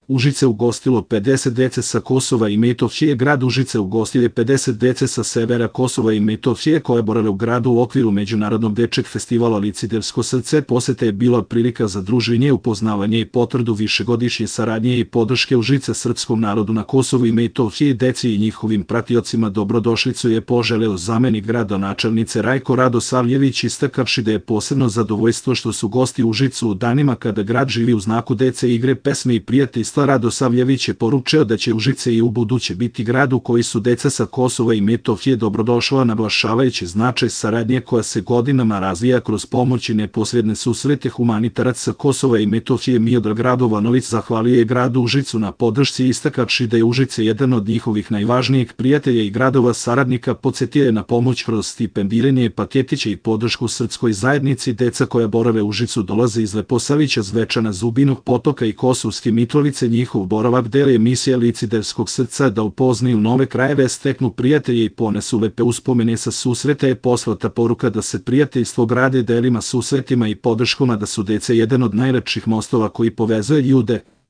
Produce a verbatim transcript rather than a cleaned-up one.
Užice ugostilo pedeset dece sa Kosova i Metohije. Grad Užice ugostio je pedeset dece sa severa Kosova i Metohije koje borave u gradu u okviru Međunarodnog dečeg festivala Licitersko srce. Poseta je bila prilika za druženje, upoznavanje i potvrdu višegodišnje saradnje i podrške Užice srpskom narodu na Kosovu i Metohiji. Deci i njihovim pratiocima dobrodošlicu je poželeo zamenik gradonačelnice Rajko Radosavljević, istakavši da je posebno zadovoljstvo što su gosti u Užicu u danima kada grad živi u znaku dece, igre, pesme i prijateljstva. Radosavljević je poručio da će Užice i u buduće biti grad u koji su deca sa Kosova i Metohije dobrodošla, naglašavajući značaj saradnje koja se godinama razvija kroz pomoć i neposredne susrete. Humanitarac sa Kosova i Metohije Miodrag Radovanović zahvalio je gradu Užicu na podršci, istakavši da je Užice jedan od njihovih najvažnijih prijatelja i gradova saradnika. Podsetio je na pomoć kroz stipendiranje, paketiće i podršku srpskoj zajednici. Deca koja borave u Užicu dolaze iz Leposavića, Zvečana, Zubinog Potoka i Kosovske Mitrovice. Njihov boravak deli je misija Liciterskog srca da upoznaju nove krajeve, steknu prijatelje i ponesu lepe uspomene sa susreta. Je poslata poruka da se prijateljstvo grade delima, susretima i podrškama, da su deca jedan od najlepših mostova koji povezuje ljude.